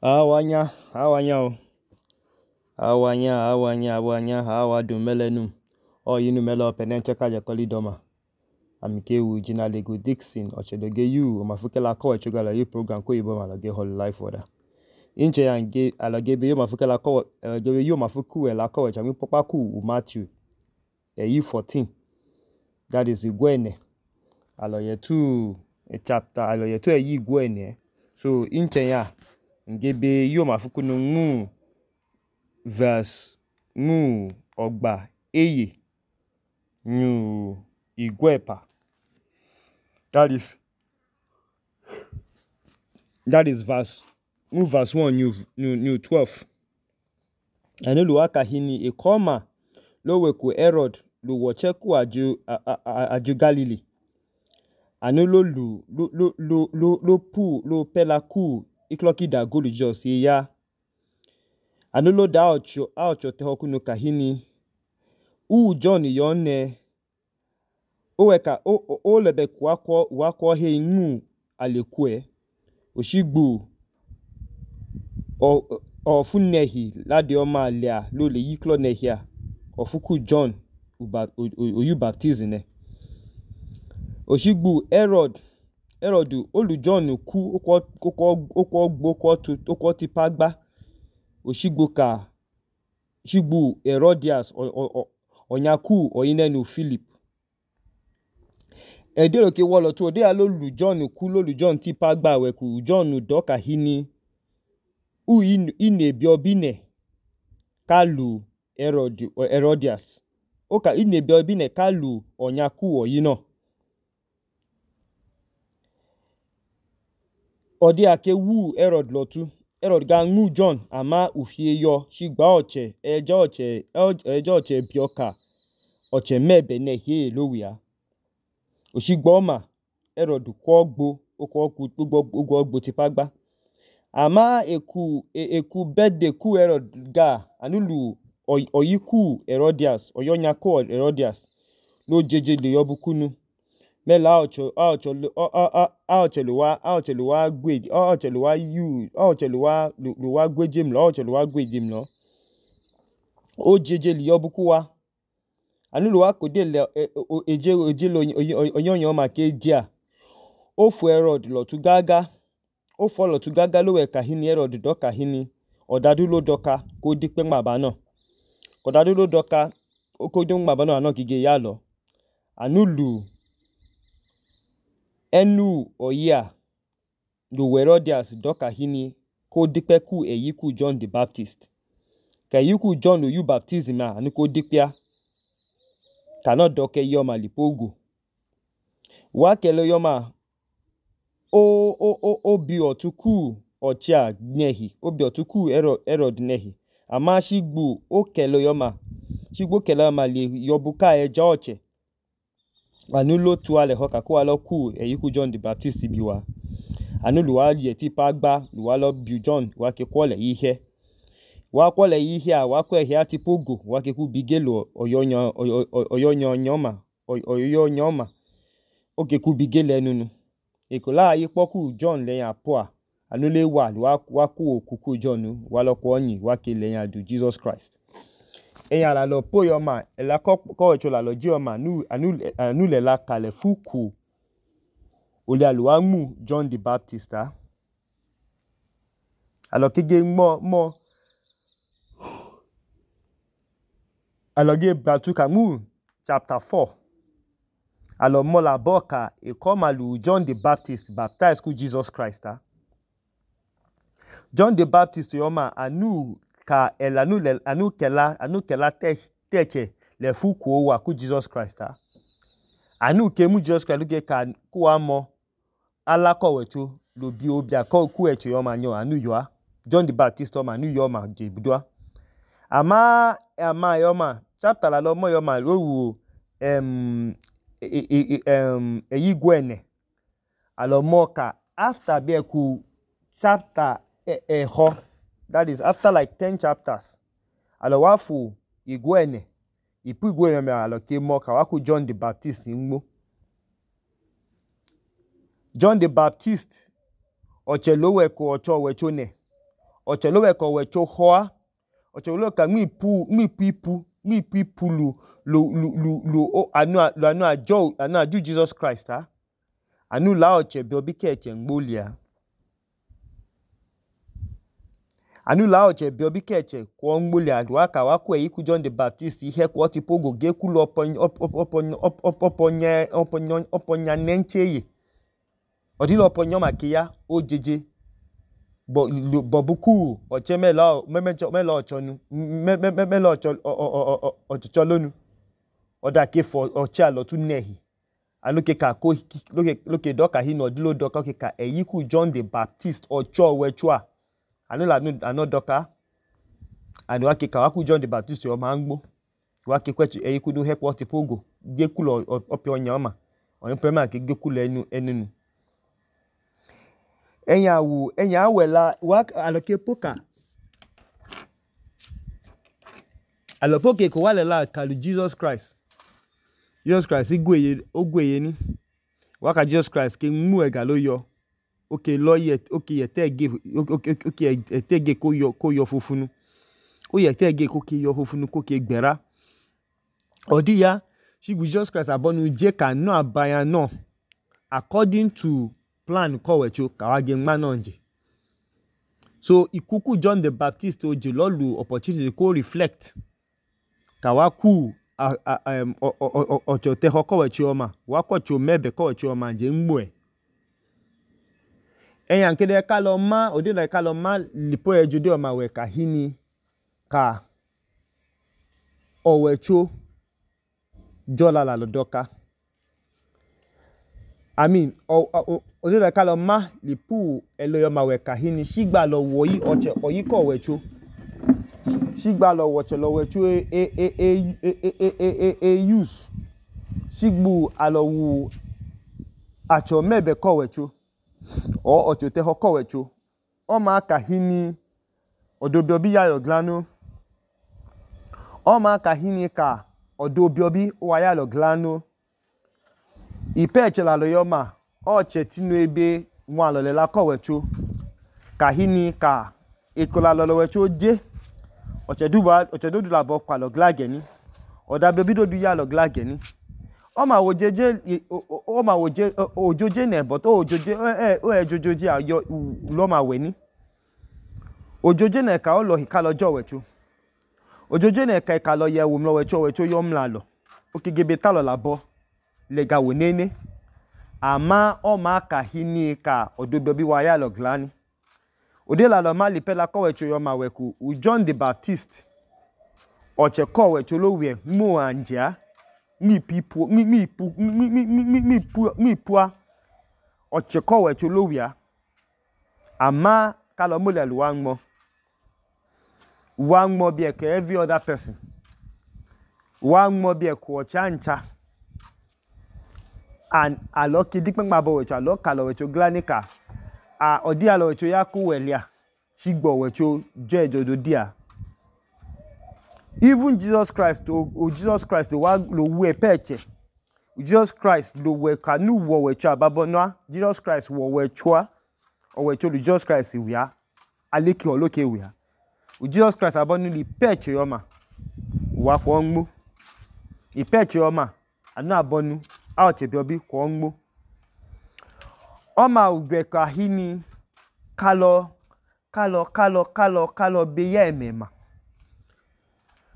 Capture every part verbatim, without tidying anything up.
Awanya, awanya o. Awanya, awanya, awanya, awadu melenum. O yinu melo penenche kaje kolidoma. Amikewu jina lego Dixon ochedoge yu omafukela ko echugala yu program ko yibo malage whole life order. Inche yange alagebe yu mafukela ko alagebe yu mafuku ela ko echami popa ku Matthew e yu fourteen. That is igwene. Aloye tu a chapter aloye tu e yi igwene. So inche ya ngebe yu mafuku no ngu verse ngu ogba eye nyu igwepa. That is that is verse ngu verse one new new, new twelve. Anelu waka hini ekoma loweku Herod lu wocheku aju aju Galilee. Anelu lu lu lu lu lu lu pu lu pelaku ikloki da golu jos ya. Anelu da ocho ocho tehoku no kahini u John yone oweka o o lebe kwakwo wakwo he ngu alekwe oshigbu o ofunehi ladioma alia lo le yiklo nehia ofuku John uba oyu baptism ne oshigbu Herod Herod olu John ku okwo okwo okwo okwo tu okwo tipagba oshigbu ka shigbu Herodias onyaku oyinenu Philip edero ke wolo tu ode alolu John ku lolu John tipagba weku John doka hini u inebi obine kalu Herod Herodias oka inebi obine kalu onyaku oyino ode ake wu Herod lotu Herod ga ngu John ama ufie yo shigba oche eje oche eje oche bioka oche mebe ne hie lowia oshigba oma Herod kwogbo okwo ogbo ogbo tipagba ama eku eku birthday ku Herod ga anulu oyiku Herodias oyonyaku Herodias lo jeje le yobukunu mela ocho ocho ocho luwa ocho luwa gwe ocho luwa yu ocho luwa luwa gwejim lo ocho luwa gwejim lo o jeje le yobukuwa anulu wa kode le eje eje lo oyonyo ma ke dia o fu Herod lo tu gaga o fo lo tu gaga lo we kahini Herod do kahini odadu lo doka ko dipe ngba no odadu lo doka ko do ngba no ano gige ya lo anulu enu oya lu Herodias doka hini ko dipe ku eyiku John the Baptist ka eyiku John oyu baptism a anu ko dipia kana doke yoma lipogu wa kele yoma o o o obi otuku ochia nehi obi otuku Herod Herod nehi ama shigbu o kele yoma shigbu kele yoma le yobuka eja oche anu lo tu ale hoka ko alo ku eyiku John the Baptist biwa anu luwa ye tipagba luwa lo bi John wa ke kwole ihe wa kwole ihe a wa kwe ihe atipogo wa ke ku bigelo oyonyo oyonyo nyoma oyo nyoma o ke ku bigele nunu ekola ayi poku John le yan poa anu le wa luwa wa ku okuku John wa lo ko yin wa ke le yan du Jesus Christ eyan la lo po yoma ela ko ko echola lo ji yoma nu anu anu le la kale fuku ole aluwa mu John the Baptist ah alo kege mo mo alo ge batuka mu chapter four alo mo la boka e come alu John the Baptist baptize ku Jesus Christ ah John the Baptist yoma anu ka el anu le anu kela anu kela te teche le fuku wa ku Jesus Christ ah anu ke mu Jesus Christ ge ka ku amo ala ko wechu lo bi obi ko ku eche yoma nyo anu yo John the Baptist yoma anu yoma je budwa ama ama yoma chapter la lo mo yoma lo wu em em eyigwene alo moka after be ku chapter e ho that is after like ten chapters alo wafu igwene ipu igwene me alo ke moka wa ku John the Baptist nmo John the Baptist oche lowe ko ocho wechone ọchẹ ló wẹ ka ọwẹcho họ ọchẹ ló ka nmipu nmipu ipu nmipu ipu lu lu lu lu lu anu anu ajọ anu aju Jesus Christ a anu la ọchẹ bịọbi kẹchẹ ngbọlia anu la ọchẹ bịọbi kẹchẹ kwọ ngbọlia wa ka wa kwu eyi ku John the Baptist ihe kwọ tipogo ge kulu ọpọnya ọpọnya ọpọnya nẹncheye ọdịla ọpọnya maka ya o jeje bọbuku ọchẹ mẹla mẹla ọchọnu mẹla ọchọchọ lónu ọda kefọ ọchẹ alọtu nẹhi aloke ka ko loke dọka hi nọdilo dọka oke ka eyi ku John the Baptist ọchọ ọwẹcho a anu la anu dọka anu ake ka wa ku John the Baptist ọma ngbo wa ke kwechi eyi ku do hekwo tipogo ge kulu ọpẹ ọnya ọma ọni pẹma ke ge kulu ẹnu ẹnunu ẹnya awu ẹnya awẹla wa aloke poka alopoke ko wa lela kalu Jesus Christ Jesus Christ igweye ogweye ni wa ka Jesus Christ ke mu ega lo yọ oke lo ye oke yete ge oke yete ge ko yọ ko yọ fofunu o yete ge ko ke yọ fofunu ko ke gbera odi ya shigbu Jesus Christ abonu je ka no abaya no according to plan kọwẹcho kawa ge nma náà nje so ikuku John the Baptist oje lọlu opportunity ko reflect kawa ku ọchọ tẹhọ kọwẹcho ọma wa kọcho mẹbẹ kọwẹcho ọma nje ngbo ẹ ẹyàn kede ká lọ má òdìlà ká lọ má lipo ẹjọdẹ ọma wẹ ka hini ka ọwẹcho jọla la lọ dọka I mean òdìlà ká lọ má lipo ẹlọyọ ọma wẹ ka hini ṣígbà lọ wọ̀nyí ọchẹ ọyí kọ ọwẹcho ṣígbà lọ wọ̀chẹ lọ wẹcho e e e e e e e use ṣígbù alọwù àchọ mẹbẹ kọ ọwẹcho ọ ọchọ tẹhọ kọwẹcho ọma ka hini ọdọbịọbi ya yọ glano ọma ka hini ka ọdọbịọbi wa ya yọ glano ipe echela lo yọma ọchẹ tinu ebe nwa alọlela kọwẹcho ka hini ka ekola lọlọwẹcho je ọchẹ duba ọchẹ dodu labọ kwalọ glageni ọdabịọbi dodu ya lọ glageni ọma wojeje ọma woje ojoje ne but ojoje eh o ejojoje ayo lọma weni ojoje ne ka ọlọ hika lọjọ wẹcho ojoje ne ka ka lọ yẹ wo mlọ wẹcho wẹcho yọ mla lọ okegebe talọ labọ lega wenene ama ọma ka hini ka ọdọbịọbi wa ya lọ glani odela lọ ma lipela kọwẹcho yọ ma wẹku u John the Baptist ọchẹ kọwẹcho lo wẹ mo anja mi pipu mi mi pu mi mi mi mi pu mi pua ọchẹ kọwẹcho lo wẹ ama ka lọ mo le lu wa ngmo wa ngmo bi e ka every other person wa ngmo bi e ko ọchẹ ancha and alo ki dikpengba bo wẹcho alo ka lọ wẹcho glanika a odi alo wẹcho ya ku welia shigbo wẹcho je ejodo dia even Jesus Christ o, o Jesus Christ lo wa lo wu epeche Jesus Christ lo we kanu wo wecho ababonwa Jesus Christ wo wecho o wecho lu Jesus Christ wia aleki oloke wia o Jesus Christ abonu li peche yoma wa ko ngbo ipeche yoma anu abonu a oche biobi ko ngbo ọma ugbe ka hini kalo kalo kalo kalo kalo be ye emema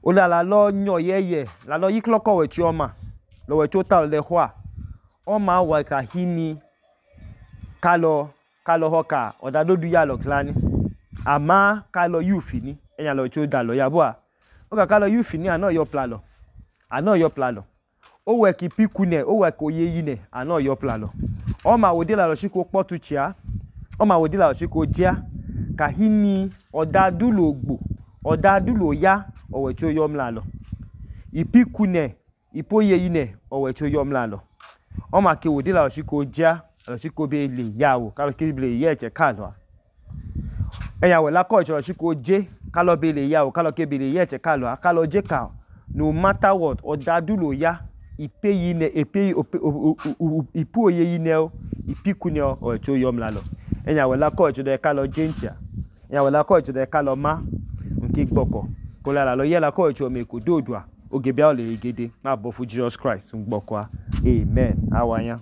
ola la lo nyo yeye la lo yiklo ko wechi ọma lo wechi ta le hwa ọma wa ka hini kalo kalo hoka odadodu ya lo klani ama kalo yufi ni enya lo wechi da lo ya bo a o ka kalo yufi ni ana yo plalo ana yo plalo o we ki pikune o we ko yeyi ne ana yo plalo ọma wo de la lo shiko potuchia ọma wo de la lo shiko jia ka hini odadulo ogbo odadulo ya owecho yom lalo ipikune ipoye yine owecho yom lalo ọma ke wo de la lo shiko jia lo shiko be le yawo ka lo ke be ye che kalo eya we la ko lo shiko je ka lo be le yawo ka lo ke be le ye che kalo ka lo je ka no matter what odadulo ya ipe yine epe ipo ye yine o ipikune owecho yom lalo enya we la ko de ka lo je ntia ya wẹla kọọchẹ dẹ kalọ ma nke gbọkọ kọla lalọ yẹla kọọchẹ ọmeko doodua oge bia ọlẹyẹgẹdẹ nm'abọfu Jesus Christ ngbọkọa amen awanya.